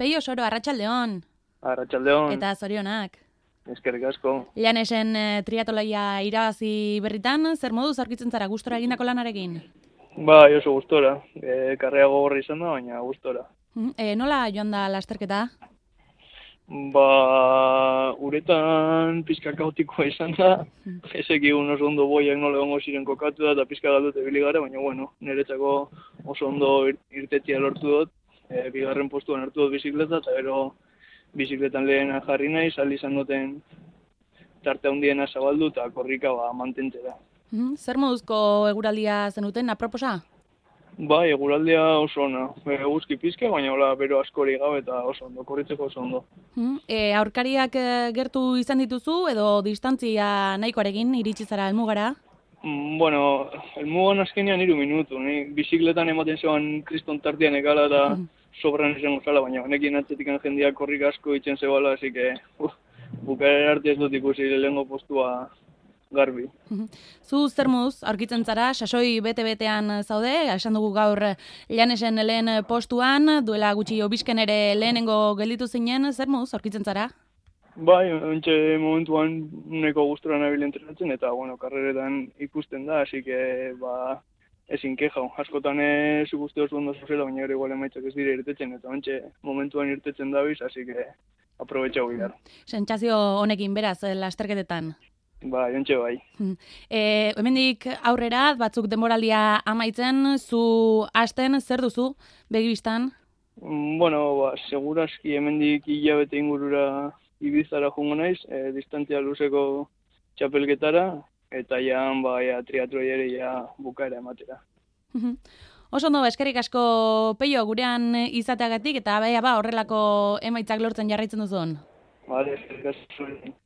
Peio Soro, arratsaldeon. Arratsaldeon. Eta zorionak. Eskerrik asko. Llanesen triatloia irabazi berritan, zer moduz aurkitzen zara gustora egindako lanarekin? Bai, oso gustora. Karrea gogorra izan da, baina gustora. Nola joan da lasterketa? Uretan pizka kaotikoa izan da. Ezekigun oso ondo boiak nola egongo ziren kokatu da, eta pizka galdute ibili gara, baina bueno, niretzako oso ondo irtetzea lortu dut. Bigarren postuan hartu dut bizikleta, eta gero bizikletan lehena jarri nahi, sali izan duten tarte handiena zabaldu eta korrika mantentzera. Zer moduzko eguraldia zenuten, aproposa? Bai, eguraldia oso ona. Eguzki pizka, baina hola bero askori gabe eta oso ondo, korritzeko oso ondo. Aurkariak gertu izan dituzu edo distantzia nahikoarekin iritsi zara helmugara? Bueno, helmugan azkenean 3 minutu. Ni bizikletan ematen zegoen kriston tartean ekala eta sobran izango zala, baina honekin atzetikan jendeak korrik asko itzen zebala, así que bukaera arte ez dut ikusi lehengo postua garbi. Zu zer moduz aurkitzen zara, sasoi bete-betean zaude, esan dugu gaur Llanesen lehen postuan, duela gutxi Obisken ere lehenengo gelditu zinen, zer moduz aurkitzen zara? Bai, ontxe momentuan neko gustora nabil entrenatzen, eta bueno, karreretan ikusten da, así que ezin keja. Askotan zu guzti oso ondo zuzela, baina gero igual emaitzak ez dira irtetzen, eta ontxe momentuan irtetzen dabiz, así que aprobetxau bihar. Sentsazio honekin beraz, lasterketetan? Bai, ontxe bai. Hemendik aurrera, batzuk denboraldia amaitzen, zu hasten, zer duzu, begibistan? Bueno, segurazki hemendik hilabete ingurura Ibizara jungo naiz, distantzia luzeko txapelketara, eta triatloi ere bukaera ematera. Oso ondo, eskerrik asko Peio gurean izateagatik, eta horrelako emaitzak lortzen jarraitzen duzun. Vale, eskerrik asko.